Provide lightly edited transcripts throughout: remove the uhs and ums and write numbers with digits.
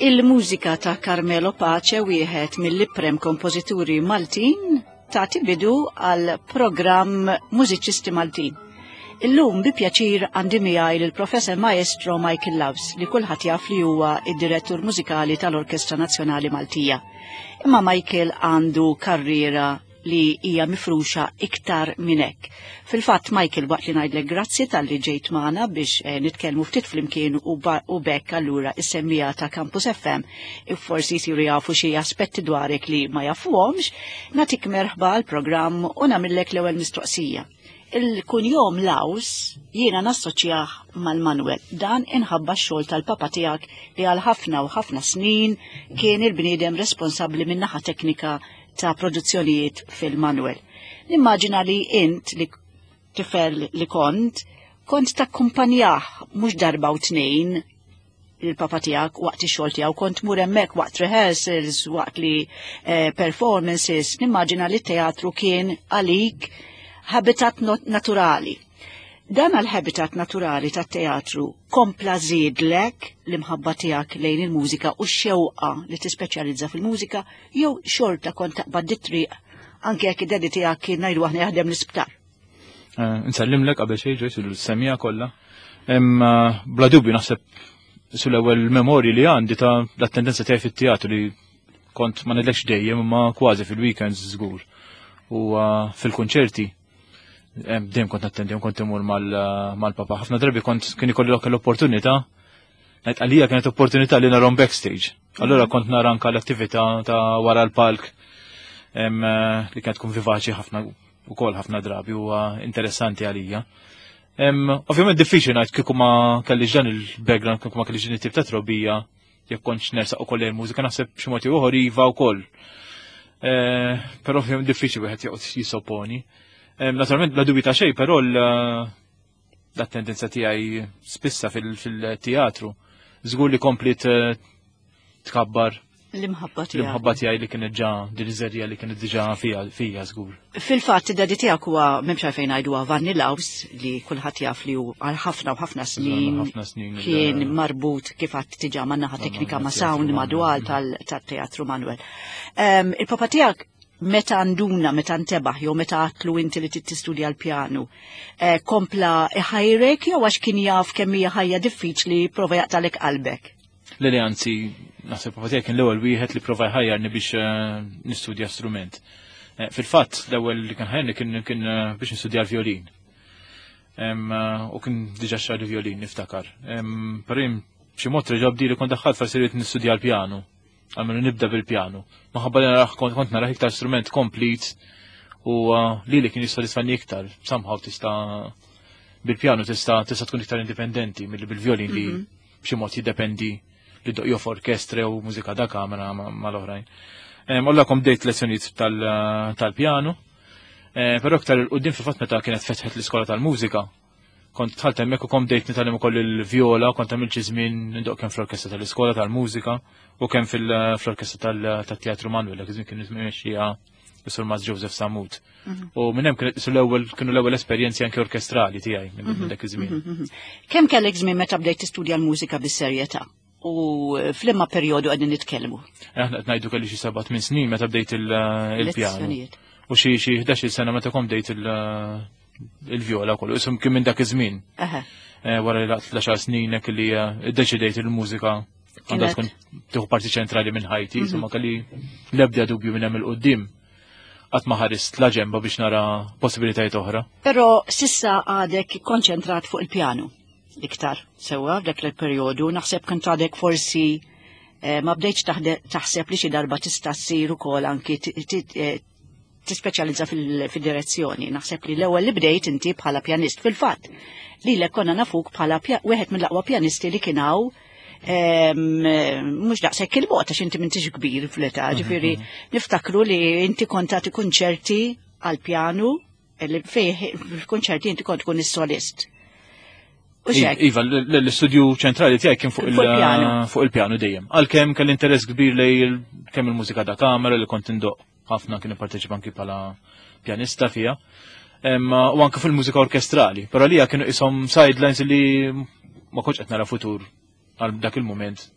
Il-mużika ta' Carmelo Pace wieħed mill-iprem kompożituri Maltin tagħti bidu għal programm Mużiċisti Maltin. Illum bi pjaċir għandi miegħi lill-Professor Maestro Michael Loves li kulħadd jaf li huwa id-direttur mużikali tal-Orkestra Nazzjonali Maltija. Imma Michael għandu karriera li hija mifruxa iktar minn hekk. Fil-fatt Michael waqt li ngħidlek grazzi talli ġejt magħna biex eh, nitkellmu ftit flimkien u bekk allura is-semmija ta' Campus FM forsi jsiru jafu xi aspetti dwarek li ma jafuhomx, nagħtik merħba għall programm u nagħmillek l-ewwel mistoqsija. Il-kunjom Laws jiena nassoċjah mal-Manuel. Dan inħabba x-xogħol tal-papa tiegħek li għal ħafna u ħafna snin kien il-bniedem responsabbli min-naħa teknika ta' produzzjonijiet fil-Manuel. Nimmaġina li int li tifel li kont, kont takkumpanjah mhux darba u tnejn il-papa tiegħek waqt ix-xogħol tiegħu kont mur hemmhekk waqt rehearsals, waqt li eh, performances, nimmaġina li t-teatru kien għalik habitat naturali. Dan għal-habitat naturali tat-teatru kompla żiedlek l-imħabba tiegħek lejn il-mużika u x-xewqa li tispeċjalizza fil-mużika jew xorta kont taqbad dit-triq anke jekk id-dedi tiegħek kien ngħidu aħna jaħdem l-isptar. Eh, nsellimlek qabel xejn Joyce il-semija kollha. Bla dubju naħseb sul-ewwel memorji li għandi ta' l-attendenza tiegħi fit-teatru li kont ma nidlekx dejjem imma kważi fil-weekends żgur. U eh, fil-kunċerti dejjem kont nattendi, kont imur mal-papa. Ħafna drabi kont kien ikolli l-opportunità Ngħid għalija kienet opportunità li narhom backstage. Allura kont nara anka l-attività ta' wara l-palk eh, li kienet tkun vivaċi ħafna ukoll ħafna drabi huwa interessanti għalija. Ovvjament diffiċli ngħid kieku ma kellix dan il-background, kieku ma kellix din it-tip ta' trobija, jekk kontx nersaq ukoll il-mużika naħseb xi mod ieħor iva wkoll. Eh, però ovvjament diffiċli wieħed joqgħod jisopponi. Naturalment bla dubju ta' xejn, però l-attendenza tiegħi spissa fil-teatru żgur li komplit eh, tkabbar l-imħabba tiegħi. L-imħabba tiegħi li kienet ġa din iż-żerja li kienet diġà fija fija żgur. Fil-fatt id-dadi tiegħek huwa m'hemmx għalfejn ngħidu Vanni Laws li kulħadd jaf li hu għal ħafna u ħafna snin kien marbut kif għadd diġà man naħa teknika ma' sound ma' dwal tal-teatru Manuel. Ehm, il-papa tiegħek meta nduna, meta ntebaħ, jew meta għatlu inti li tistudja l-pjanu, eh, kompla iħajrek jew għax kien jaf kemm hija ħajja diffiċli prova jaqtalek qalbek? Le li anzi, naħseb papa tiegħek kien l-ewwel wieħed li prova jħajjarni biex eh, nistudja strument. Eh, fil-fatt, l-ewwel li kien ħajjarni kien kien biex nistudja l-violin. U kien diġà xar violin niftakar. Però jien b'xi mod reġa' bdi li kont daħħalt forsi rrid nistudja l-pjanu. Għalmenu nibda bil-pjanu. Maħabba li naraħ kont naraħ iktar strument komplit u uh, li li kien jissodisfani iktar. Somehow tista' bil-pjanu tista' tista' tkun iktar indipendenti milli bil-violin li mhm. b'xi mod jiddependi li doq jof orkestra u mużika da kamera mal-oħrajn. Olla kom bdejt lezzjonijiet uh, tal-pjanu, eh, però iktar il-qudiem fil-fatt meta kienet fetħet l-iskola tal-mużika, Kont dħalt hemmhekk u kont bdejt nitgħallem ukoll il-vjola, kont għamilt xi żmien ndoq kemm fl-orkestra tal-iskola tal-mużika u kemm fl-orkestra tat-Teatru Manuel, dak iż-żmien kien imexxija Sur Mas Joseph Samut. Mhm. U minn hemm kienet l-ewwel kienu l-ewwel esperjenzi anke orkestrali tiegħi minn mhm. dak iż-żmien. Mhm, kemm kellek żmien meta bdejt tistudja l-mużika bis-serjetà? U f'liema perjodu qegħdin nitkellmu? Aħna qed ngħidu kelli xi seba' tmien snin meta bdejt il-pjanu. U xi xi 11-il sena meta kont bdejt il-vjola kollu, isum kien minn dak iż-żmien. Eh, wara li laqt l snin hekk li eh, iddeċidejt il-mużika għandha tkun tieħu parti ċentrali minn ħajti, mhm. insomma kelli l-ebda dubju minn hemm il-qudiem qatt ma ħarist la ġemba biex nara possibilitajiet oħra. Però sissa għadek konċentrat fuq il-pjanu iktar sewwa f'dak il-perjodu, naħseb kont għadek forsi eh, ma bdejtx taħseb li xi darba tista' ssir ukoll anki tispeċjalizza fil-direzzjoni. Naħseb li l-ewwel li bdejt inti bħala pjanist fil-fatt. Lilek konna nafuk bħala wieħed mill-aqwa pjanisti li kien hawn mhux daqshekk il-bogħod għax inti m'intix kbir fl-età, mhm, ġifieri mhm. niftakru li inti kont tagħti kunċerti għal pjanu li fih fil-kunċerti inti kont tkun is-solist. Iva, l-istudju ċentrali tiegħi kien fuq il-pjanu dejjem. Għalkemm kelli interess kbir lej kemm il-mużika da kamera li kont indoq ħafna kien ipparteċipa anki bħala pjanista fija. U anke fil-mużika orkestrali. Però lija kienu isom sidelines li ma kontx qed nara futur għal dak il-moment.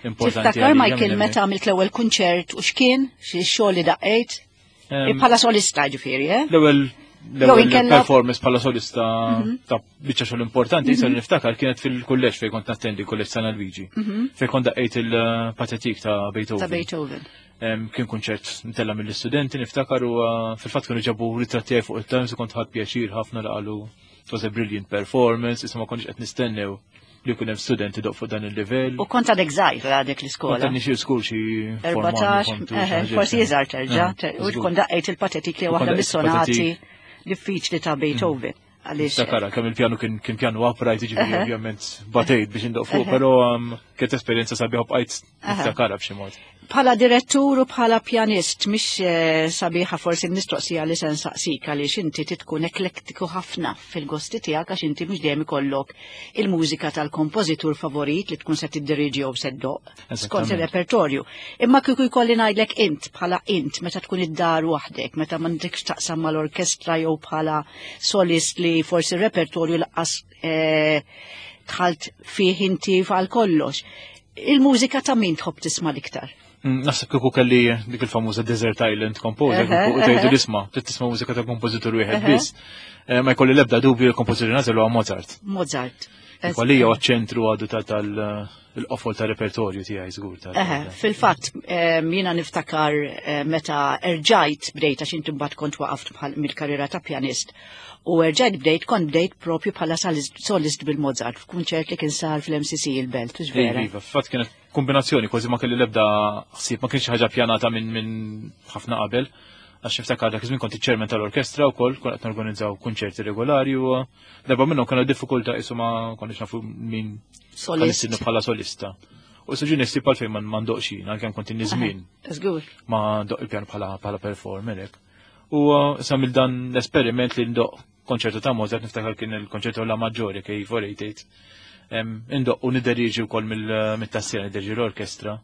importanti. Tiftakar Michael meta għamilt l-ewwel kunċert u x'kien, xi xogħol li daqqejt? Bħala solista ġifieri, eh? L-ewwel l-ewwel performance bħala solista mhm. ta' biċċa xogħol importanti, mm -hmm. niftakar kienet fil-kulleġġ fejn kont nattendi kulleġġ San Luigi, mhm. fejn kont daqqejt il-patetik ta' Beethoven. Ta' Beethoven. Kien kunċert ntella mill-istudenti niftakar u uh, fil-fatt kienu ġabu ritratti fuq it-Times u kont ħadd pjaċir ħafna li qalu it was a brilliant performance, issa ma konniex qed nistennew li jkun hemm studenti doq fuq dan il-livell. U kont għadek żgħir għadek l-iskola. Kont nixi skur xi 14, forsi iżgħar terġa', u tkun daqqejt il-patetik li waħda mis-sonati diffiċli ta' Beethoven. Għaliex. Dakara, kemm il-pjanu kien pjanu upright, jiġifieri ovvjament batejt biex indoq fuq, però um, kienet esperjenza sabiħa bqajt niftakara b'xi mod. Bħala direttur u bħala pjanist, mhix eh, sabiħa forsi l-mistoqsija li se nsaqsik għaliex inti titkun eklektiku ħafna fil-gosti tiegħek għax inti mhux dejjem ikollok il-mużika tal-kompożitur favorit li tkun se tiddiriġi jew se ddoq skont ir-repertorju. Imma kieku jkolli ngħidlek int bħala int meta tkun id-dar waħdek, meta m'għandekx taqsam mal-orkestra jew bħala solist li forsi r-repertorju laqqas eh, dħalt fih inti għal kollox. Il-mużika ta' min tħobb tisma' l-iktar? Mm, naħseb kieku kelli dik il-famuża Desert Island Composer, u tgħidu l-isma, trid tisma' mużika ta' kompożitur wieħed biss. Eh, ma jkolli l-ebda dubju l-kompożitur nażel huwa Mozart. Mozart. Għalija huwa ċentru għadu tal-qofol ta' repertorju tiegħi żgur. Fil-fatt jiena niftakar eh, meta erġajt bdejt għax inti mbagħad kont waqaft mill-karriera ta' pjanist U erġajt bdejt, kont bdejt propju bħala solist bil-Mozart f'kunċert li kien sar fl-MCC il-Belt, hux vera? Iva, fatt kienet kombinazzjoni, kważi ma kelli l-ebda ħsieb, ma kienx ħaġa pjanata minn min ħafna qabel. Għax niftakar dak iż-żmien kont iċ-chairman tal-orkestra wkoll, kont qed norganizzaw kunċerti regolari u darba minnhom kellna diffikultà qisu ma konniex nafu min solist bħala solista. U suġi nistib għal fejn ma ndoqx jien, għalkemm kont inni żmien. Żgur. Ma ndoq il-pjan bħala performer hekk. U sa mill dan l-esperiment li ndoq konċertu ta' Mozart niftakar kien il-konċertu la Maggiore kif 488. Indoq u nideriġi wkoll mill-tassiera nideriġi l-orkestra.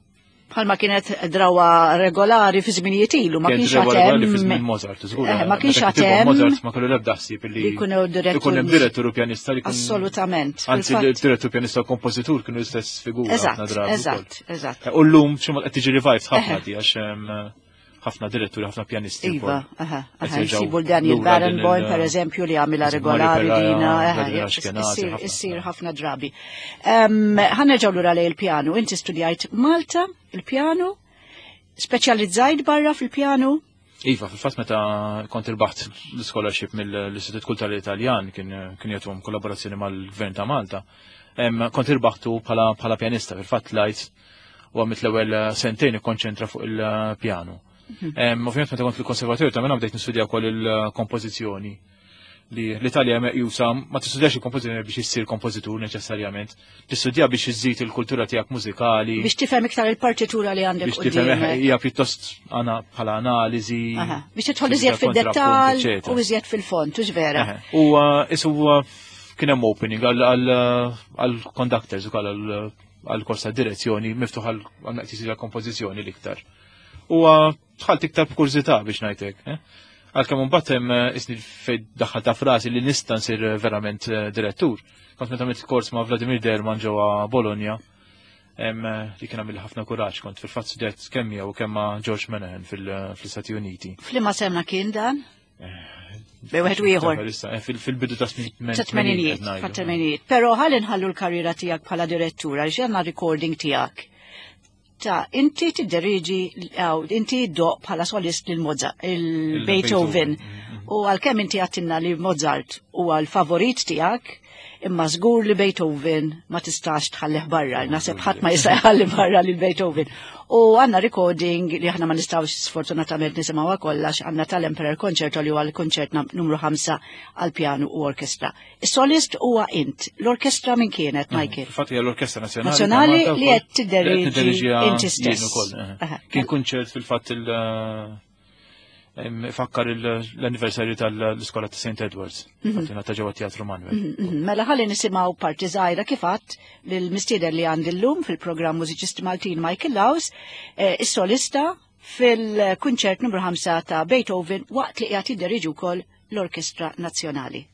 Bħalma kienet drawa regolari fi żminijiet ilu, ma kienx għatem. Regolari fi żmien Mozart, żgur. Eh, ma kienx għatem. Mozart ma kellu l-ebda ħsieb li jkun hemm direttur u pjanista li Assolutament. Anzi, direttur pjanista u kompożitur kienu l-istess figura. Eżatt, eżatt, eżatt. U llum xi qed tiġi revived ħafna di għax ħafna diretturi, ħafna pjanisti. Iva, aha, aha, jsibu l-Daniel Barenboim, per eżempju, li għamila regolari dina, issir ħafna drabi. Ħanerġaw lura lej il-pjanu, inti studjajt Malta, il-pjanu, speċjalizzajt barra fil-pjanu? Iva, fil-fatt meta kont irbaħt l-scholarship mill-Istitut Kulturali Italjan kien kien jagħtuhom kollaborazzjoni mal-Gvern ta' Malta. Kont irbaħtu bħala pjanista fil-fatt lajt u għamilt l-ewwel eh, sentejn ikkonċentra fuq il-pjanu. Mhm. Ovvjament meta kont fil-konservatorju ta' minna bdejt nistudja wkoll il-kompożizzjoni li l-Italja meqjusa ma tistudjax il-kompożizzjoni biex issir kompożitur neċessarjament, tistudja biex iżżid il-kultura tiegħek mużikali. Biex tifhem iktar il-partitura li għandek. Biex tifhem eh, hija pjuttost għana bħala analiżi. Biex tidħol iżjed fid-dettall u iżjed fil-fond, hux vera. U eh, isu kien hemm opening għal conductors ukoll għal kors ta' direzzjoni miftuħ għal naqtis għal kompożizzjoni l-iktar. U dħalt iktar b'kurżità biex ngħidlek. Eh? Għalkemm imbagħad hemm eh, isni fejn daħħal ta' frasi li nista' nsir eh, verament direttur. Kont meta għamilt kors ma' Vladimir Derman ġewwa Bologna, li kien għamil ħafna kuraġġ kont fil-fatt studjajt kemm jew kemm ma' George Menahan fil-Istati Uniti. F'liema sena kien dan? Bej wieħed u ieħor. Eh, fil-bidu ta' tmenijiet, tmenijiet. Però ħalli nħallu l-karriera tiegħek bħala direttura għaliex għandna recording tiegħek. Ta' inti tidderiġi inti ddoq bħala solist lil Mozart, il-Beethoven. Mm-hmm. U għalkemm inti għattinna li Mozart huwa l-favorit tiegħek, imma żgur li Beethoven ma tistax tħallih barra, naħseb ħadd ma jista' jħalli barra lil Beethoven. U għandna recording li aħna ma nistgħux sfortunatament nisimgħuha kollha għandna tal-Emperor Concerto li huwa l-konċert numru 5 għal pjanu u orkestra. Is-solist huwa int, l-orkestra min kienet, mhm. Michael? Fatt hija l-Orkestra Nazzjonali. Nazzjonali li qed tidderieġi inti stess. Eh. Kien kunċert fil-fatt il- Fakkar l-anniversarju tal-iskola ta' St. Edwards, mhm. ta' ġewwa Teatru Manuel. Mhm, mhm. Mela ħalli nisimgħu parti żgħira kif għadt lill-mistieden li għandi llum fil-programm Mużiċisti Maltin Michael Laws, eh, is-solista fil-kunċert numru 5 ta' Beethoven waqt li qiegħed jidderieġi wkoll l-Orkestra Nazzjonali.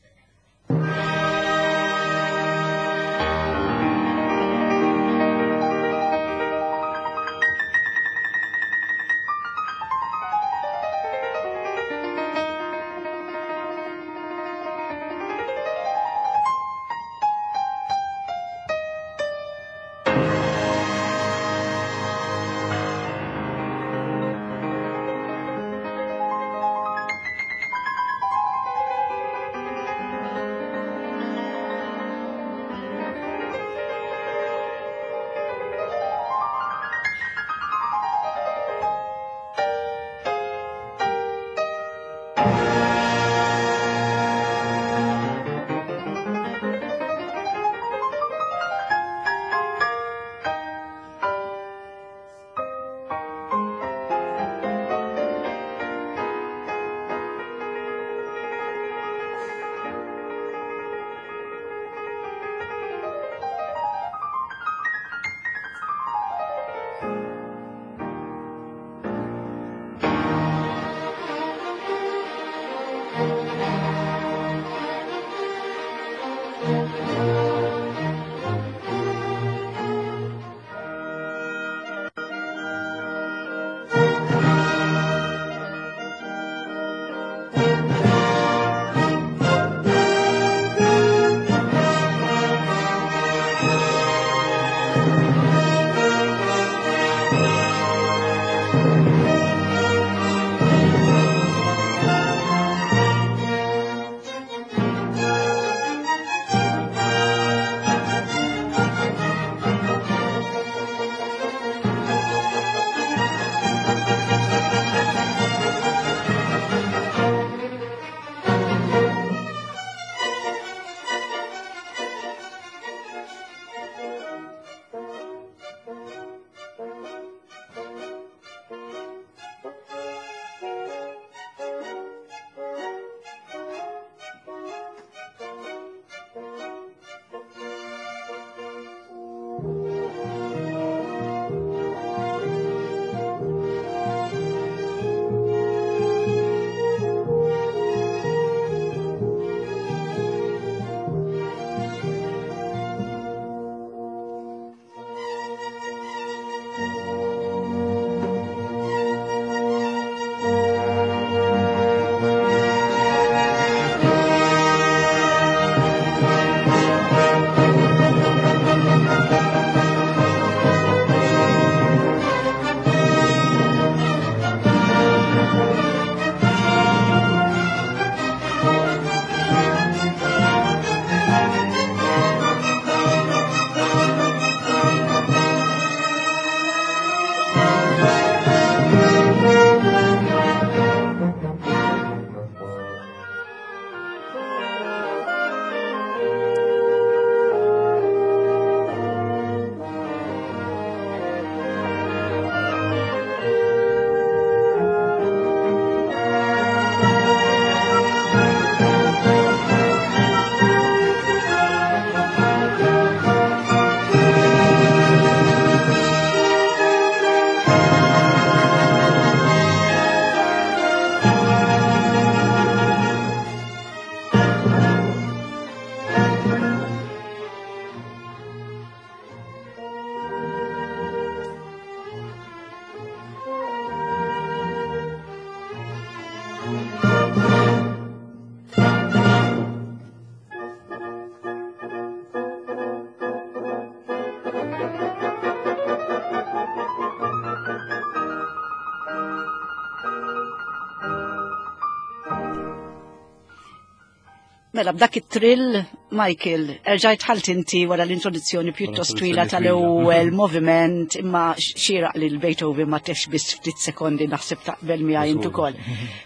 Mela b'dak it-trill, Michael, erġajt ħalt inti wara l-introduzzjoni pjuttost twila tal-ewwel moviment imma xieraq li l-Beethoven ma tefx biss ftit sekondi naħseb taqbel miegħi int ukoll.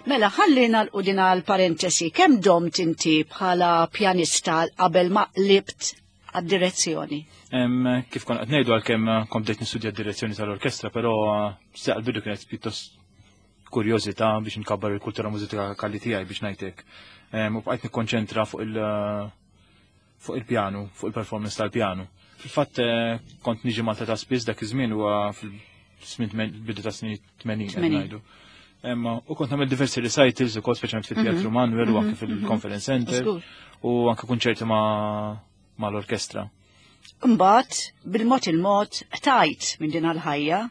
Mela ħalli nagħlqu din għall-parentesi, kemm domt inti bħala pjanista qabel ma qlibt għad-direzzjoni? Kif kont qed ngħidu għalkemm kont bdejt nistudja d-direzzjoni tal-orkestra, però saqal bidu kienet pjuttost kurjożità biex nkabbar il-kultura mużikali tiegħi biex ngħidlek. U bqajt nikkonċentra fuq il- fuq il-pjanu, fuq il-performance tal-pjanu. Fil-fatt eh, kont niġi Malta ta' spiss dak iż-żmien huwa fil-bidu ta' snin 80 qed ngħidu. U kont nagħmel diversi recitals ukoll speċjalment fit-Teatru mhm. Manuel u anke mhm, fil-Conference mhm. Center u anke kunċerti ma' mal-orkestra. Imbagħad bil-mod il-mod tajt minn din għal-ħajja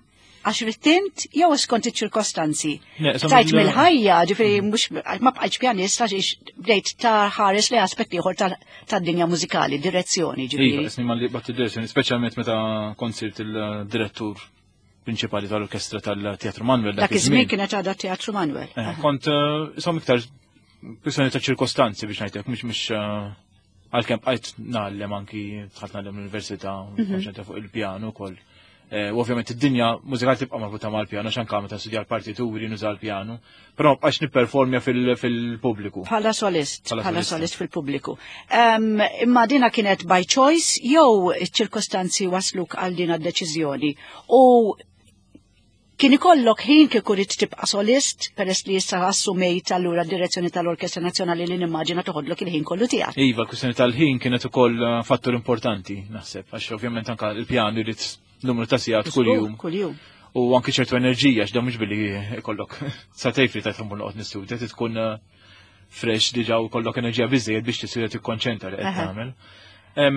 għax rittint jew skont iċ-ċirkostanzi. Tajt mill-ħajja, ġifieri mm. mhux ma bqajtx pjanist għax bdejt ta' ħares li aspett ieħor tad-dinja mużikali, direzzjoni ġifieri. Iva, isni malli bat direzzjoni, speċjalment meta kont sirt il-direttur prinċipali tal-orkestra tal-Teatru Manuel. Dak iż-żmien kienet għadha Teatru Manuel. Eh, kont eh, isom iktar kwistjoni ta' ċirkostanzi biex ngħidlek, mhux mhux eh, Għalkemm bqajt ngħallem anki dħalt ngħallem l-università, mhm. konċentra fuq il-pjanu wkoll. Eh, u ovvjament id-dinja mużikali tibqa' marbuta mal-pjanu għax anke meta studja l-partituri nuża l-pjanu, però bqajx nipperformja fil-pubbliku. Bħala solist, bħala solist fil-pubbliku. Imma dina kienet by choice jew iċ-ċirkostanzi wasluk għal din d-deċiżjoni. U Kien ikollok ħin kieku ridt tibqa' solist peress li issa assumejt allura d-direzzjoni tal-Orkestra Nazzjonali li nimmaġina toħodlok il-ħin kollu tiegħek. Iva, kwistjoni tal-ħin kienet ukoll eh, fattur importanti, naħseb, għax ovvjament anka il-pjan irid numru ta' sigħat kuljum. Kuljum. U anke ċertu enerġija x'da mhux billi ikollok sa tgħid li tajt immur noqgħod nistudja tkun eh, fresh diġà u kollok enerġija biżejjed biex tisir tikkonċentra li qed tagħmel. Eh,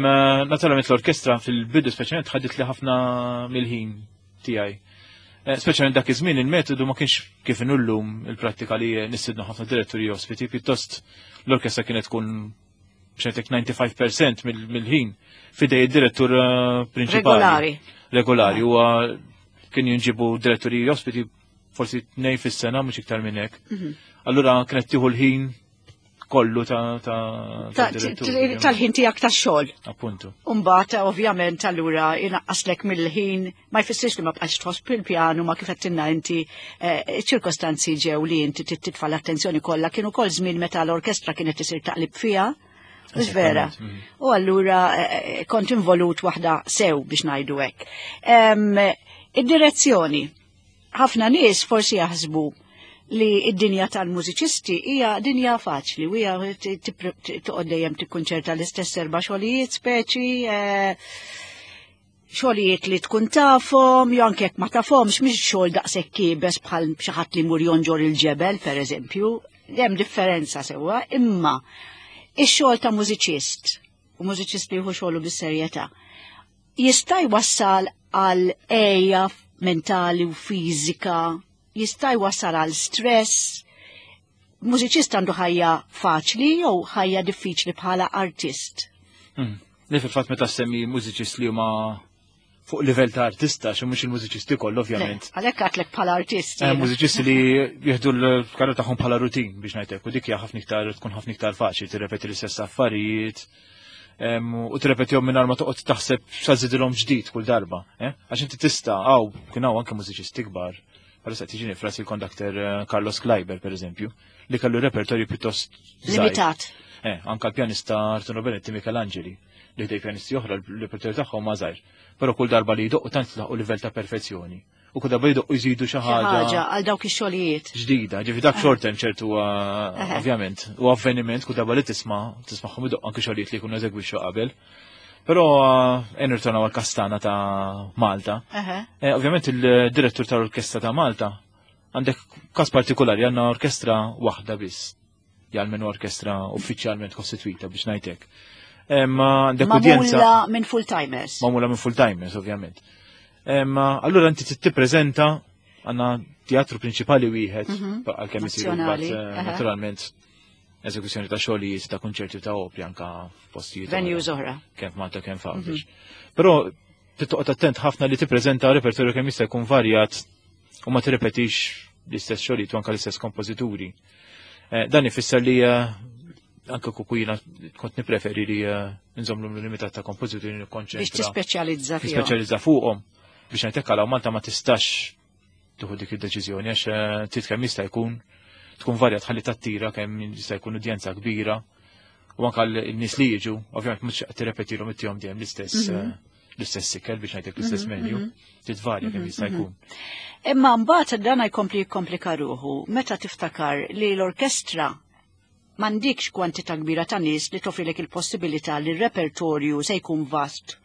naturalment l-orkestra fil-bidu speċjalment ħadit li ħafna mill-ħin tiegħi. Eh, speċjalment dak iż-żmien il-metodu ma kienx kif inullum il-prattika li nistidnu ħafna diretturi ospiti, pjuttost l-orkestra kienet tkun b'xejtek 95% mill-ħin fidej id-direttur eh, prinċipali. Regolari. Regolari, huwa kien jinġibu diretturi ospiti forsi tnej fis-sena mhux iktar minn hekk. Mhm. Allura kienet tieħu l-ħin kollu ta' tal-ħin tiegħek tax-xogħol. Appuntu. Umbagħad ovvjament allura inaqqaslek mill-ħin ma jfissirx li ma bqax tħoss bil-pjanu ma kif qed inti eh, ċirkostanzi ġew li inti titfa' l-attenzjoni kollha kienu kol żmien meta l-orkestra kienet isir taqlib fiha. Mhux vera. Mm. U allura eh, eh, kont involut waħda sew biex ngħidu hekk. Id-direzzjoni Ħafna nies forsi jaħsbu li id-dinja tal-mużiċisti hija dinja faċli u hija toqgħod dejjem tikkunċerta l-istess erba' xogħlijiet speċi eh, Xogħlijiet li tkun tafhom, jew anke jekk ma tafhomx, mhix xogħol daqshekk iebes bħal xi ħadd li jmur jonġor il-ġebel, pereżempju. Hemm differenza sewwa, imma ix-xogħol ta' mużiċist, u mużiċist li jieħu xogħlu bis-serjetà, jista' jwassal għal għeja mentali u fiżika, jista' jwassal għal stress. Mużiċist għandu ħajja faċli jew ħajja diffiċli bħala artist? Li fil-fatt meta semmi mużiċist li huma fuq livell ta' artista, xi mhux il-mużiċisti kollha ovvjament. Għalhekk għatlek bħala artist. Mużiċisti li jieħdu l-karriera tagħhom bħala rutin biex ngħidlek, u dik hija ħafna iktar tkun ħafna iktar faċli tirrepeti l-istess affarijiet u tirrepetihom mingħajr ma toqgħod taħseb x'għażidilhom ġdid kull darba. Eh? Għax inti tista' hawn kien hawn anke mużiċisti kbar. Bħalissa qed jiġini frasi il-kondakter Carlos Kleiber pereżempju, li kellu repertorju pjuttost żgħir. Limitat. Anka l-pjanista Arturo Benetti Michelangeli, li ħdej pjanisti oħra l-repertorju tagħhom ma żgħir. Però kull darba li jdoqqu tant laħqu livell ta' perfezzjoni. U kull darba jdoqqu jżidu xi ħaġa. Ħaġa għal dawk ix-xogħlijiet. Ġdida, ġifi dak short term ċertu ovvjament, u avveniment kull darba li tismagħhom idoqqu anke xogħlijiet li jkunu eżegwixxu qabel. Però nirtornaw għall-Kastana ta' Malta. Ovvjament il-direttur tal-Orkestra ta' Malta għandek każ partikolari, għandna orkestra waħda biss. Jgħal orkestra uffiċjalment kostituita biex ngħidlek. Ma għandek Magħmula udjenza minn full-timers. Magħmula minn full-timers, ovvjament. Ma allura inti tippreżenta għandna teatru prinċipali wieħed, għalkemm isiru Nazzjonali, mbagħad naturalment eżekuzzjoni ta' xogħlijiet ta' kunċerti ta' opri anka f'postijiet oħra. Venues oħra. Kemm f'Malta kemm f'Għawdex. Però tittoqgħod attent ħafna li tippreżenta repertorju kemm jista' jkun varjat u ma tirrepetix l-istess xogħlijiet u anka l-istess kompożituri. Dan ifisser li anke kieku jiena kont nippreferi li nżomm l-numru limitat ta' kompożituri nikkonċentra. Biex tispeċjalizza fihom. Tispeċjalizza fuqhom. Biex ngħidlek għal Malta ma tistax tieħu dik id-deċiżjoni għax trid kemm jista' jkun tkun varjat ħalli tattira kemm jista' jkun udjenza kbira u anke n-nies li jiġu, ovvjament mhux qed tirrepetilhom ittihom dejjem l-istess ikel biex ngħidlek l-istess menu, titvarja kemm jista' jkun. Imma mbagħad dan jkompli jikkomplika ruħu meta tiftakar li l-orkestra m'għandikx kwantità kbira ta' nies li toffrilek il-possibilità li r-repertorju se jkun vast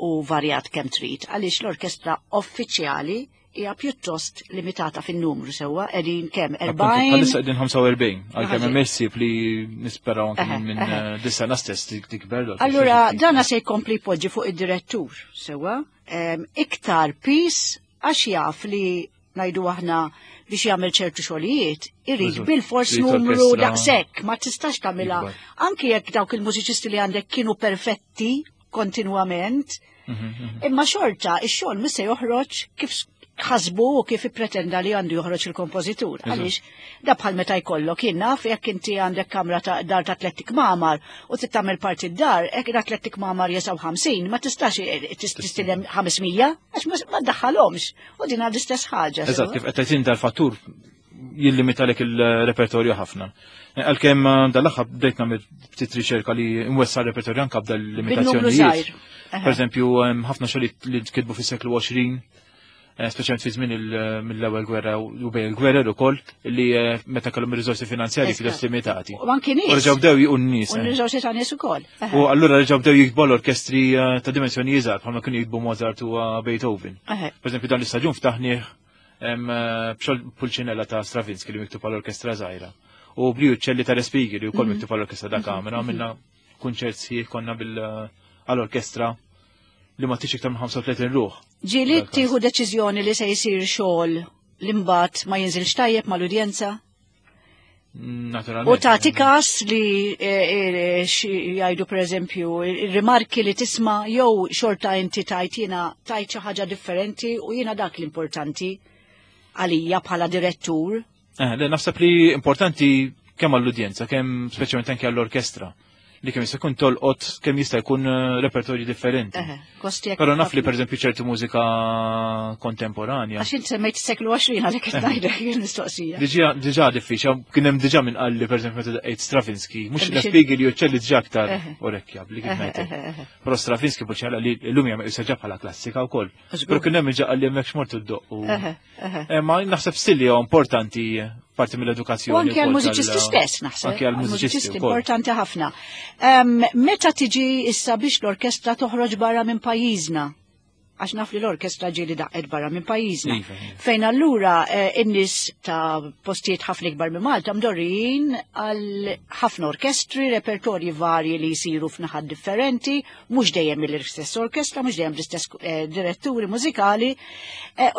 u varjat kemm trid, għaliex l-orkestra uffiċjali hija pjuttost limitata fin-numru sewwa, qegħdin kemm Appuntu, 40. Bħalissa qegħdin 45, għalkemm Ħażin. hemm ħsieb li nisperaw anke minn, dis-sena stess tikber l-orkestra. Allura dana se jkompli jpoġġi fuq id-direttur sewwa, iktar pis għax jaf li ngħidu aħna biex jagħmel ċertu xogħlijiet, irid bil-fors Irid numru orkestra daqshekk, ma tistax tagħmilha. ikbar. Anki jekk dawk il-mużiċisti li għandek kienu perfetti kontinwament, imma xorta ix-xogħol mhux se joħroġ kif ħasbu u kif ippretenda li għandu joħroġ il-kompożitur. Għaliex da bħal meta jkollok jien naf jekk inti għandek kamra ta' dar ta' tliet ikmamar u trid tagħmel parti d-dar, hekk da tliet ikmamar jesaw 50, ma tistax tistilem 500 għax ma ddaħħalhomx. U din għad l-istess ħaġa, Eżatt, sewa? kif qed tgħid dal-fattur jillimitalek il-repertorju ħafna. Għalkemm dal-aħħar bdejt nagħmel ftit riċerka li nwessa' r-repertorju anke b'dal Bin-numru limitazzjonijiet. żgħir. Per eżempju, hemm ħafna xogħlijiet li tkitbu fis-seklu 20, speċjalment fi żmien mill-ewwel gwerra u bejn il-gwerer ukoll, li meta kellhom ir-riżorsi finanzjarji pjuttost limitati. U anki nies. U reġgħu bdew jiqu n-nies, U eh. n-riżorsi ta' nies ukoll. U allura reġgħu bdew jiktbu l-orkestri ta' dimensjoni iżgħar bħalma kienu jiktbu Mozart u Beethoven. Per eżempju, dan l-istaġun ftaħnieh b'xogħol Pulcinella ta' Stravinsky li miktub għall-orkestra żgħira. U Blu Uccelli ta' Respighi li wkoll miktub għall-orkestra da' kamera, għamilna kunċert sħiħ konna għall-orkestra li ma tix iktar minn 35 ruħ. Ġieli Dak tieħu deċiżjoni li se jsir xogħol li mbagħad ma jinżilx tajjeb mal-udjenza? Naturalment. U tagħti każ li xi jgħidu pereżempju ir-rimarki li tisma' jew xorta inti tajt jiena tajt xi ħaġa differenti u jiena dak l-importanti għalija bħala direttur. Le, naħseb li importanti kemm għall-udjenza, kemm speċjalment anke għall-orkestra, li kemm jista' jkun tolqot, kemm jista' jkun repertorji differenti. Kosti jekk Però naf li ħafna. pereżempju ċertu mużika kontemporanja. Għax inti semmejt is-seklu 20 għalhekk qed ngħidlek il-mistoqsija. Diġà diffiċli, kien hemm diġà min qalli pereżempju meta daqqejt Stravinsky, mhux Biex Respighi li uċċelli diġà aktar orekkjabbli kif ngħidlek. Però Stravinsky Pulcinella li llum hija meqjusa ġa bħala klassika wkoll. Żgur. Però kien hemm diġà qalli hemmhekk x'mort iddoq u Ma naħseb still hija importanti parti mill-edukazzjoni U anke wkoll għall-mużiċisti tal- stess, naħseb. Anke għall-mużiċisti Għall-mużiċisti wkoll. importanti ħafna. Meta tiġi issa biex l-orkestra toħroġ barra minn pajjiżna? Għax naf li l-orkestra ġieli daqqet barra minn pajjiżna. Iva, iva. Fejn allura in-nies ta' postijiet ħafna ikbar minn Malta mdorrijin għal ħafna orkestri, repertorji varji li jsiru f'naħat differenti, mhux dejjem mill-istess orkestra, mhux dejjem l-istess diretturi mużikali,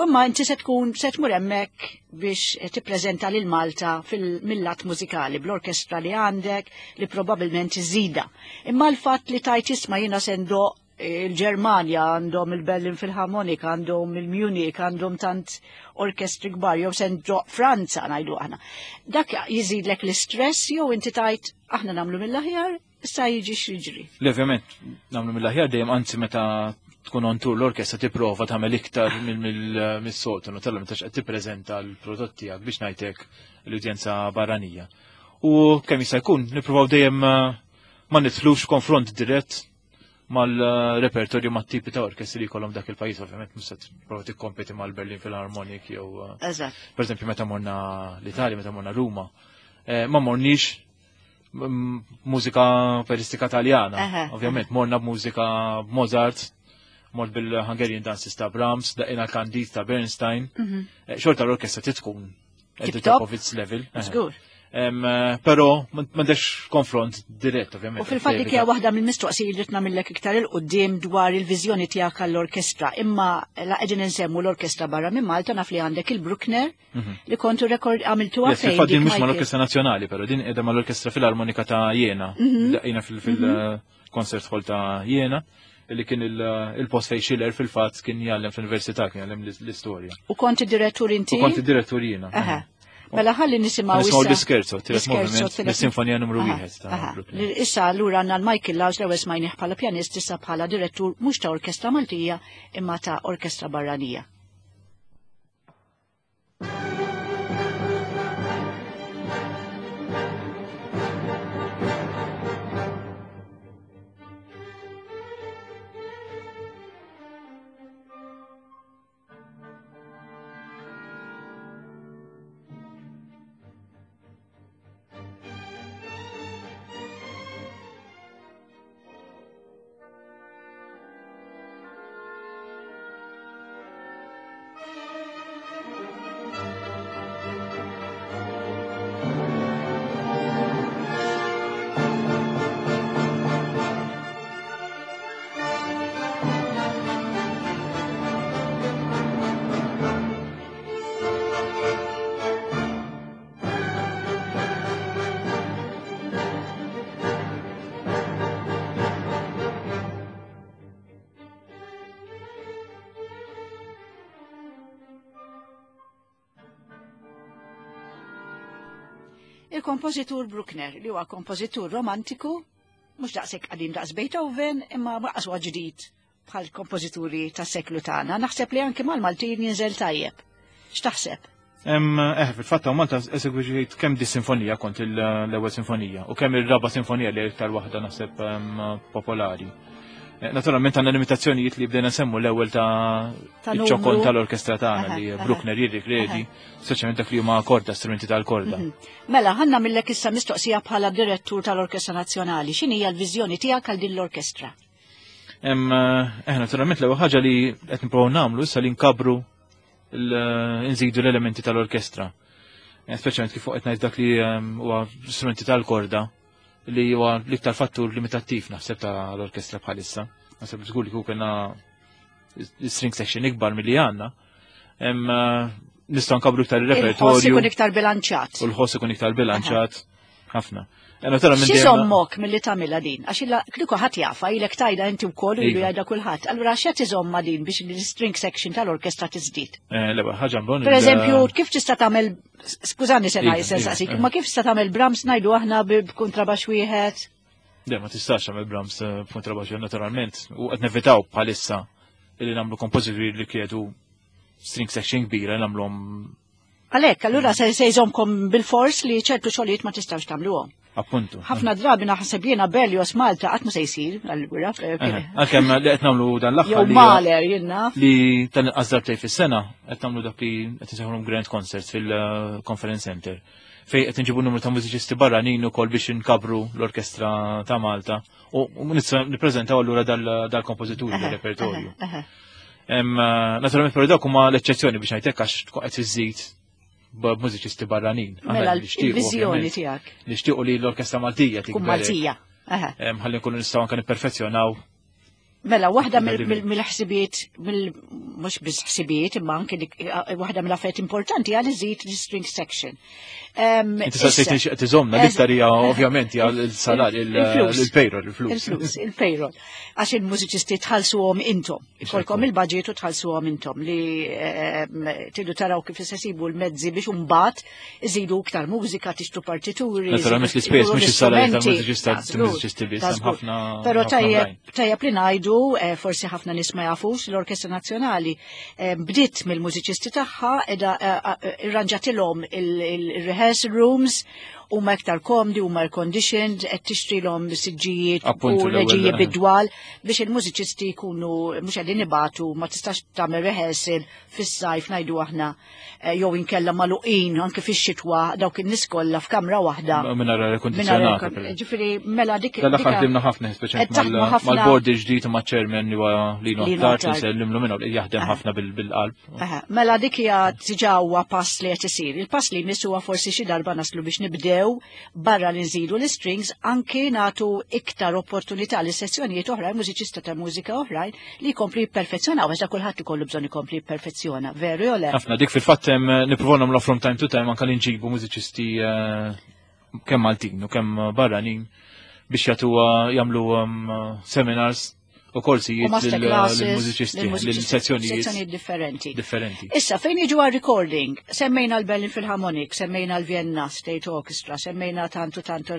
imma inti se tkun se tmur hemmhekk biex tippreżenta lil Malta mill-lat mużikali bl-orkestra li għandek li probabbilment iżida. Imma l-fatt li tajt isma' jiena se ndoq il-Ġermanja, għandhom il-Berlin Philharmonic, għandhom il-Munich, għandhom tant orkestri kbar, jew se ndoq Franza ngħidu aħna. Dak jiżidlek l-istress jew inti tajt aħna nagħmlu mill-aħjar, issa jiġi x'jiġri. Le, ovvjament, nagħmlu mill-aħjar dejjem, anzi meta tkun on tour l-orkestra tipprova tagħmel iktar mis-soltu, naturalment meta qed tippreżenta l-prodott tiegħek biex ngħidlek l-udjenza barranija. U kemm jista' jkun nippruvaw dejjem ma nidħlux konfront dirett mal-repertorju mat-tipi ta' orkestri li jkollhom dak il-pajjiż, ovvjament mhux se tipprova tikkompeti mal-Berlin Philharmonic jew Per eżempju meta morna l-Italja, meta morna Ruma, ma morniex mużika operistika Taljana. Ovvjament morna b'mużika Mozart, mort bil-Hungarian Dances ta' Brahms, daqina Candide ta' Bernstein. Xorta l-orkestra titkun at the Tip top top. of its level. Żgur. Però m'għandekx konfront dirett, ovvjament. U fil-fatt dik hija waħda mill-mistoqsijiet li nagħmillek iktar il quddiem dwar il-viżjoni tiegħek għall-orkestra. Imma la qegħdin insemmu l-orkestra barra minn Malta, naf li għandek il-Bruckner li kontu rekord għamiltuha Yes, fejn fil-fatt din dik mhux Michael? mal-Orkestra Nazzjonali, però din qiegħda mal-Orkestra Filarmonika ta' Jena. Daqqina fil-Concert Hall ta' Jena, li kien il-post fejn Schiller fil-fatt kien jgħallem fl-università, kien jgħallem l-istorja. U konti direttur inti? U konti direttur jiena. Mela ħalli nisimgħu Nisimgħu issa. l-iskerzo, tielet L-iskerzo, moviment, tielet mis-sinfonija numru 1 ta' Bruckner. Issa allura għandna l-Michael Laus l-ewwel smajnih bħala pjanist, issa bħala direttur mhux ta' orkestra Maltija imma ta' orkestra barranija. Il-kompożitur Bruckner, li huwa kompożitur romantiku, mhux daqshekk qadim daqs Beethoven, imma mhux huwa ġdid bħal kompożituri tas-seklu tagħna. Naħseb li anke mal-Maltin jinżel tajjeb. X'taħseb? Fil-fatt hawn Malta esegwiġejt kemm di sinfonija kont l-ewwel sinfonija u kemm ir-raba' sinfonija li iktar waħda naħseb popolari. Naturalment għandna limitazzjonijiet li bdejna nsemmu l-ewwel ta' Ta' iċ-ċokon numru. tal-orkestra tagħna li Bruckner jirrikredi, speċjalment dak li huma korda, strumenti tal-korda. Mela, ħanna millek issa mistoqsija bħala direttur tal-Orkestra Nazzjonali. X'inhi hija l-viżjoni tiegħek għal din l-orkestra? Naturalment l-ewwel ħaġa li qed nippruvaw nagħmlu issa li nkabru nżidu l-elementi tal-orkestra. Speċjalment kif fuq qed ngħid dak li huwa strumenti tal-korda li huwa l-iktar fattur limitattiv naħseb tal-orkestra bħalissa. Naħseb żgur li kieku kellna string section ikbar milli għandna. Nistgħu nkabru iktar Il-ħoss il-repertorju. ikun iktar bilanċat. U l-ħoss ikun iktar bilanċat ħafna. Naturalment Xi dejjem żommok milli tagħmilha din? Għax illa kieku ħadd jafa, ilek tajda inti wkoll u ilu Iva. jgħidha kulħadd. Allura x'qed iżomma din biex l-string section tal-orkestra tiżdied? L-ewwel ħaġa mbagħad Per eżempju, kif tista' tagħmel, skużani se Iva, ngħid, se iva, nsaqsik, eh. imma kif tista' tagħmel Brahms ngħidu aħna b'kuntrabax wieħed? Le, ma tistax tagħmel Brahms b'kuntrabax wieħed naturalment. U qed nevitaw bħalissa li nagħmlu kompożituri li kiedu string section kbira nagħmluhom. Għalhekk, allura se jżomkom bil-fors li ċertu xogħlijiet ma tistgħux tagħmluhom. Appuntu. Ħafna drabi naħseb jiena Berlioz Malta qatt ma se jsir, allura, Għalkemm li qed nagħmlu dan l-aħħar Jew li Mahler, jien naf. Li tal-inqas darbtejn fis-sena qed nagħmlu dak li qed insejħulhom Grand Concerts fil-Conference Center. Fej qed inġibu numru ta' mużiċisti barranin ukoll biex inkabru l-Orkestra ta' Malta u nippreżentaw allura dal-kompożituri del-repertorju. Naturalment però dawk huma l-eċċezzjoni biex ngħidlek għax tkun qed iżżid b'mużiċisti barranin. Mela l-viżjoni tiegħek. Nixtiequ li l-Orkestra Maltija tikber. Maltija. Ħalli nkunu nistgħu anke nipperfezzjonaw. Mela, waħda mill-ħsibiet, mhux biss ħsibiet, imma anke waħda mill-affarijiet importanti għal iżid l-string section. Inti sa sejt nixtieq tiżomna l-iktar hija ovvjament hija l-salar, il-payroll, il-flus. Il-flus, il-payroll. Għax il-mużiċisti tħallsuhom intom. Ikolkom il-budget u tħallsuhom intom li tridu taraw kif se sibu l-mezzi biex imbagħad iżidu iktar mużika, tixtru partituri. Naturalment l-ispejjeż mhux is-salarju tal-mużiċista tal-mużiċisti biss, hemm ħafna. Però tajjeb li ngħidu, forsi ħafna nies ma jafux, l-Orkestra Nazzjonali bdiet mill-mużiċisti tagħha qiegħda irranġatilhom il-rehearsal rooms huma iktar komdi, huma air conditioned, qed tixtrilhom siġġijiet u reġiji bidwal biex il-mużiċisti jkunu mhux qegħdin ibatu, ma tistax tagħmel rehearsal fis-sajf ngħidu aħna jew inkella magħluqin anke fix-xitwa dawk in-nies kollha f'kamra waħda. Mingħajr air conditionata. Ġifieri mela dik. Dal-aħħar ħdimna ħafna speċjalment mal-board il-ġdid u maċ-chairman li huwa Lino Attard li nsellimlu minnu li jaħdem ħafna bil-qalb. Mela dik hija diġà huwa pass li qed isir. Il-pass li jmiss huwa forsi xi darba naslu biex nibdew barra li nżidu l-strings anki nagħtu iktar opportunità li sessjonijiet oħrajn, mużiċista ta' mużika oħrajn li jkompli jipperfezzjonaw, għax kulħadd ikollu bżonn ikompli jipperfezzjona, veru jew le? Ħafna dik fil-fatt hemm nippruvaw nagħmlu from time to time anke li nġibu mużiċisti kemm Maltin u kemm barranin biex jagħtuha jagħmlu seminars u korsijiet lill-mużiċisti, lill-sezzjonijiet differenti. Differenti. Issa, fejn jiġu għal recording, semmejna l-Berlin Philharmonic, semmejna l-Vienna State Orchestra, semmejna tantu tantu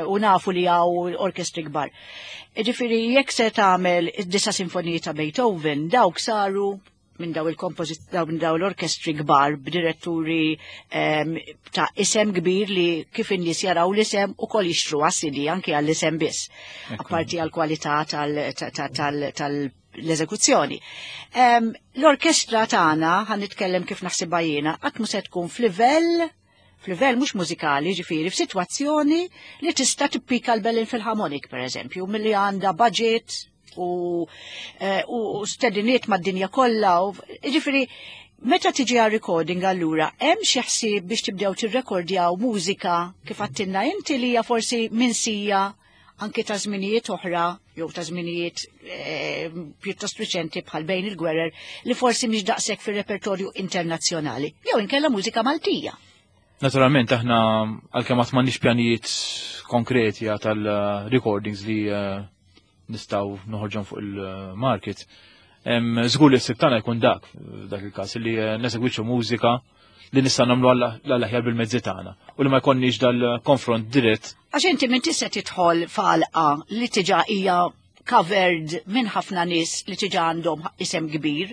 u nafu li hawn orkestri kbar. Ġifieri, jekk se tagħmel id-disa sinfoniji ta' Beethoven, dawk saru minn daw il-kompożit daw minn daw l-orkestri kbar b'diretturi ta' isem kbir li kif in-nies jaraw l-isem ukoll jixtru għas-CD anke għall-isem biss. Apparti għall-kwalità tal-eżekuzzjoni. L-orkestra tagħna, ħa nitkellem kif naħsibha jiena, qatt mhu se tkun f'livell mhux mużikali, ġifieri f'sitwazzjoni li tista' tippika l-Berlin Philharmonic pereżempju, milli għandha budget u stediniet mad-dinja kollha. Ġifieri, meta tiġi għal recording allura, hemm xi ħsieb biex tibdew tirrekordjaw mużika kif għattinna inti li hija forsi minsija anke ta' żminijiet oħra jew ta' żminijiet pjuttost riċenti bħal bejn il-gwerer li forsi mhix daqshekk fir-repertorju internazzjonali jew inkella mużika Maltija. Naturalment aħna għalkemm qatt m'għandniex pjanijiet konkreti tal-recordings li nistgħu noħorġhom fuq il-market. Żgur li s-sib tagħna jkun dak il-każ li nesegwiċu mużika li nista' nagħmlu għall-aħjar bil-mezzi tagħna u li ma jkollniex dal-konfront dirett. Għax inti minn tista' tidħol falqa li tiġa hija covered minn ħafna nies li tiġa għandhom isem kbir.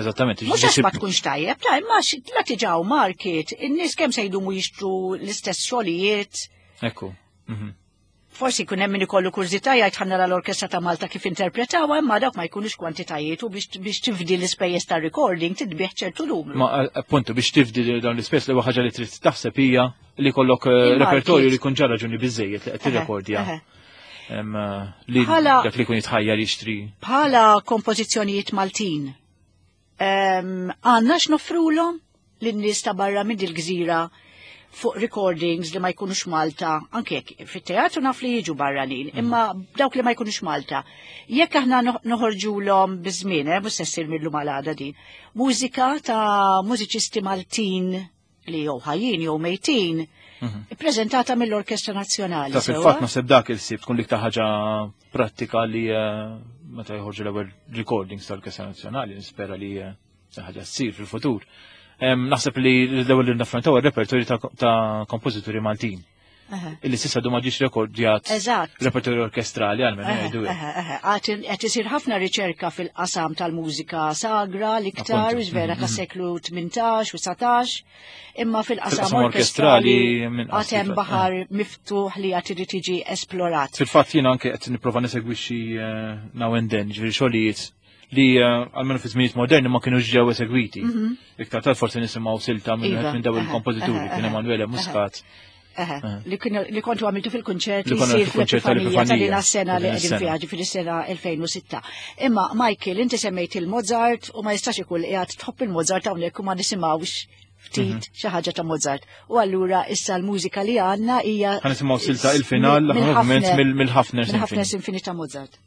Eżattament. Mhux għax ma tkunx tajjeb, ta' imma la tiġa market, in-nies kemm se jdumu jixtru l-istess xogħlijiet. Ekku. Forsi jkun hemm min ikollu kurżità jgħid ħa nara l-Orkestra ta' Malta kif interpretawha, imma dawk ma jkunux kwantitajiet u biex tifdi l-ispejjeż ta' recording titbih ċertu numru. Ma appuntu biex tifdi dawn l-ispejjeż li ħaġa li trid taħseb hija li jkollok repertorju li jkun ġara raġuni biżejjed li qed tirrekordja. Li dak li jkun jitħajjar jixtri. Bħala kompożizzjonijiet Maltin, għandna x'noffrulhom lin-nies ta' barra minn il-gżira fuq recordings li ma jkunux Malta, anke jekk fit-teatru naf li jiġu barranin, imma dawk li ma jkunux Malta. Jekk aħna noħorġulhom biż-żmien, mhux se ssir mill-lum għal għada din, mużika ta' mużiċisti Maltin li jew ħajjin jew mejtin, ippreżentata mill-Orkestra Nazzjonali. Ta' fil-fatt naħseb dak il-sib tkun l-iktar ħaġa prattika li meta joħorġu l-ewwel recordings tal-Orkestra Nazzjonali, nispera li ħaġa ssir fil-futur. Naħseb li l-ewwel li naffrontaw ir-repertorju ta' kompożituri Maltin. Illi s'issa du ma ġiex rekordjat repertorju orkestrali għal minn jgħidu hekk. Qed isir ħafna riċerka fil-qasam tal-mużika sagra l-iktar, vera ta' seklu 18 u 19, imma fil-qasam Fil-qasam orkestrali minn għad hemm qasam, baħar miftuħ li għad irid jiġi esplorat. Fil-fatt jiena anke qed nipprova nesegwixxi now and then, ġifieri xogħlijiet li għalmenu fi żminijiet moderni ma kienux ġew esegwiti. Iktar tard forsi nisimgħu silta minn dawn il-kompożituri, kien Emanuele Muscat. Li kontu għamiltu fil-kunċert li sir fil-Epifanija ta' din sena li qegħdin fiha ġifieri sena 2006. Imma Michael, inti semmejt il-Mozart u ma jistax ikun qiegħed tħobb il-Mozart hawnhekk u ma nisimgħux ftit mhm. xi ħaġa ta' Mozart. U allura issa l-mużika li għandna hija Ħa nisimgħu silta il-final mill-Ħafner Mill-Ħafner Sinfini ta' Mozart.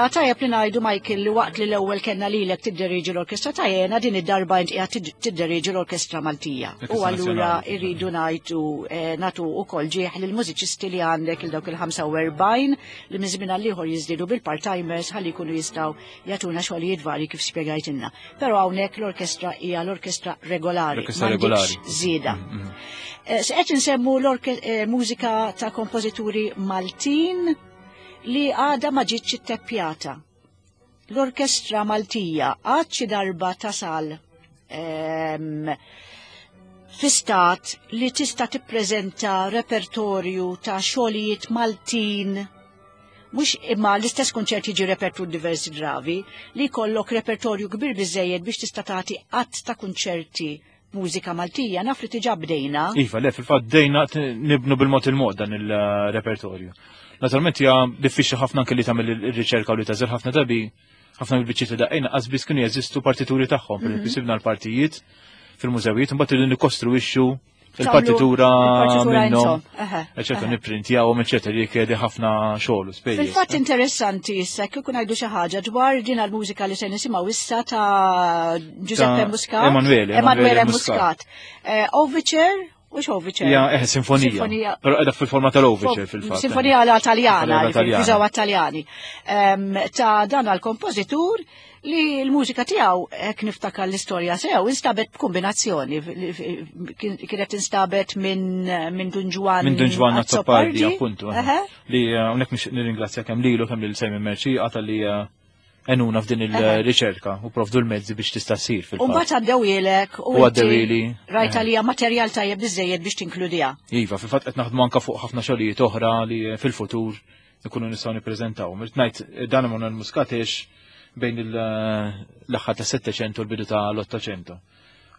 Mela tajjeb li ngħidu Michael li waqt li l-ewwel kellna lilek tidderiġi l-orkestra ta' jena din id-darba int qiegħed tidderieġi l-orkestra Maltija. U allura irridu ngħidu eh, nagħtu wkoll ġieħ lill-mużiċisti li għandek il dawk il-45 li minn żmien għal ieħor jiżdiedu bil-part-timers ħalli jkunu jistgħu jagħtuna xogħlijiet varji kif spjegajtilna. Però hawnhekk l-orkestra hija l-orkestra regolari. L-orkestra regolari. Żieda. Mm, mm. Eh, se qed insemmu l-mużika eh, ta' kompożituri Maltin li għada ma ġietx itteppjata. L-Orkestra Maltija għad xi darba tasal ehm, fi stat li tista' tippreżenta repertorju ta' xogħlijiet Maltin mhux imma l-istess kunċert jiġi repertur diversi drabi, li jkollok repertorju kbir biżejjed biex tista' tagħti qatt ta' kunċerti mużika Maltija, naf li tiġa bdejna. Iva, le, fil-fatt bdejna nibnu bil-mod il-mod dan il-repertorju. Naturalment hija diffiċli ħafna anke li tagħmel ir-riċerka u li tażel ħafna drabi ħafna mill-biċċiet li daqqejna qas biss kienu jeżistu partituri tagħhom, per mhm. sibna l-partijiet fil-mużewijiet, imbagħad irridu nikkostruwixxu il-partitura minnhom, eċetera, nipprintjawhom, eċetera, li jkedi ħafna xogħol u spejjeż. Fil-fatt interessanti issa kieku ngħidu xi ħaġa dwar din għall-mużika li se nisimgħu issa ta' Giuseppe Muscat. Emanuele. Emanuele Muscat. Eh, Overture U x'overture? Ja, eh, sinfonija. Sinfonija. Però qiegħda fil-forma tal-overture fil-fatt. Sinfonija għala Taljana, jużaw għat-Taljani. Ta' dan għal-kompożitur li l-mużika tiegħu hekk niftakar l-istorja sew instabet b'kombinazzjoni kienet instabet minn min Dun Ġwann minn Dun Ġwann Azzopardi appuntu. Li eh, hawnhekk nixtieq nirringrazzja kemm lilu kemm lil Simon Merci għata li eh, enuna f'din il-riċerka u provdu l-mezzi biex tista' ssir fil U mbagħad għaddewilek u għaddewili. Rajt għalija materjal tajjeb biżejjed biex tinkludiha. Iva, fil-fatt qed naħdmu anke fuq ħafna xogħlijiet oħra li fil-futur ikunu nistgħu nippreżentaw. Mirt ngħid dan Emanuel Muscat bejn l-aħħar ta' 700 u l-bidu ta' l-800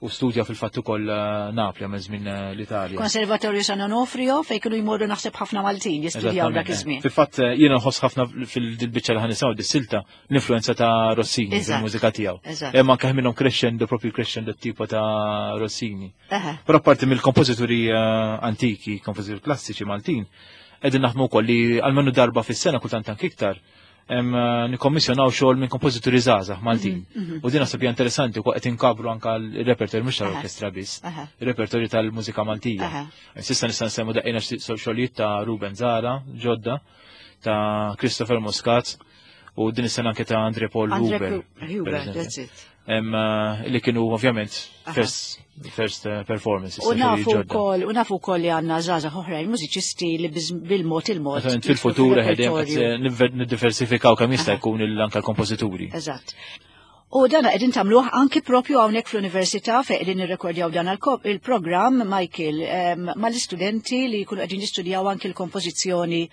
u studja fil-fatt ukoll eh, Napli għamel żmien eh, l-Italja. Konservatorju San Onofrio fejn kienu jmorru naħseb ħafna Maltin jistudjaw dak iż-żmien. Fil-fatt eh, jiena nħoss ħafna fil-biċċa li ħanisaw dis-silta l-influenza ta' Rossini fil-mużika tiegħu. Hemm anke minnhom crescendo propju crescendo tipo ta' Rossini. Però parti mill-kompożituri antiki, kompożituri klassiċi Maltin, qegħdin naħdmu wkoll li għalmenu darba fis-sena kultant anke iktar Eh, nikkommissjonaw xogħol minn kompożituri żgħażagħ Maltin. Mhm, mhm. U din naħseb hija interessanti wkoll qed inkabru anke l-repertorju mhux tal-orkestra biss, ir-repertorju tal-mużika Maltija. Sissa nista' nsemmu daqqejna xogħlijiet ta' Ruben Zara, ġodda, ta' Christopher Muscat u din is-sena anke ta' Andre Paul Huber. Huber, that's it. Eh, li kienu ovvjament first, first eh, performances. U nafu wkoll u nafu wkoll li għandna żgħażagħ oħrajn mużiċisti li bil-mod il-mod. Fil-futur qegħdin eh, niddiversifikaw kemm jista' jkun anke l-kompożituri. Eżatt. U dan qegħdin tagħmluh anki propju hawnhekk fl-università fejn qegħdin nirrekordjaw dan il-programm Michael mal-istudenti li jkunu qegħdin jistudjaw anki l-kompożizzjoni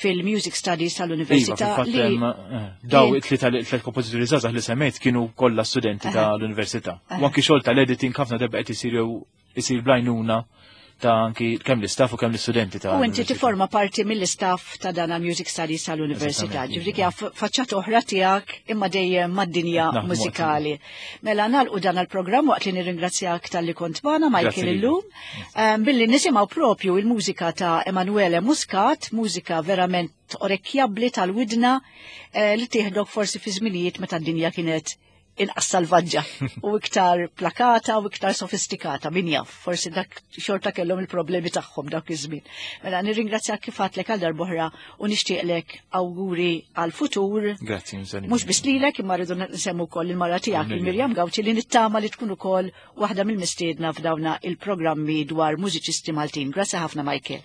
fil-Music Studies tal-Università. Iva, eh, daw it-tlieta tliet kompożituri żgħażagħ li semmejt kienu kollha studenti tal-università. U anki xogħol tal-editing ħafna darba qed isir jew isir blajnuna ta' anki kemm l-istaff u kemm l-istudenti ta' U inti tiforma parti mill-istaff ta' dan Music Studies tal-Università. Ġifieri hija faċċata oħra tiegħek imma dejjem mad-dinja mużikali. Mela nagħlqu dan il-programm waqt li nirringrazzjak talli kont magħna Michael illum billi nisimgħu propju il-mużika ta' Emanuele Muscat, mużika verament orekkjabbli tal-widna li tieħdok forsi fi żminijiet meta d-dinja kienet inqas salvaġġa u iktar plakata u iktar sofistikata, min jaf, forsi dak xorta kellhom il-problemi tagħhom dak iż-żmien. Mela nirringrazzjak kif għadtlek għal darb'oħra u nixtieqlek awguri għal futur. Grazzi, Mhux biss lilek imma rridu nsemmu wkoll il-mara tiegħek il-Mirjam Gawċi li nittama li tkun ukoll waħda mill-mistiedna f'dawna il-programmi dwar mużiċisti Maltin. Grazzi ħafna Michael.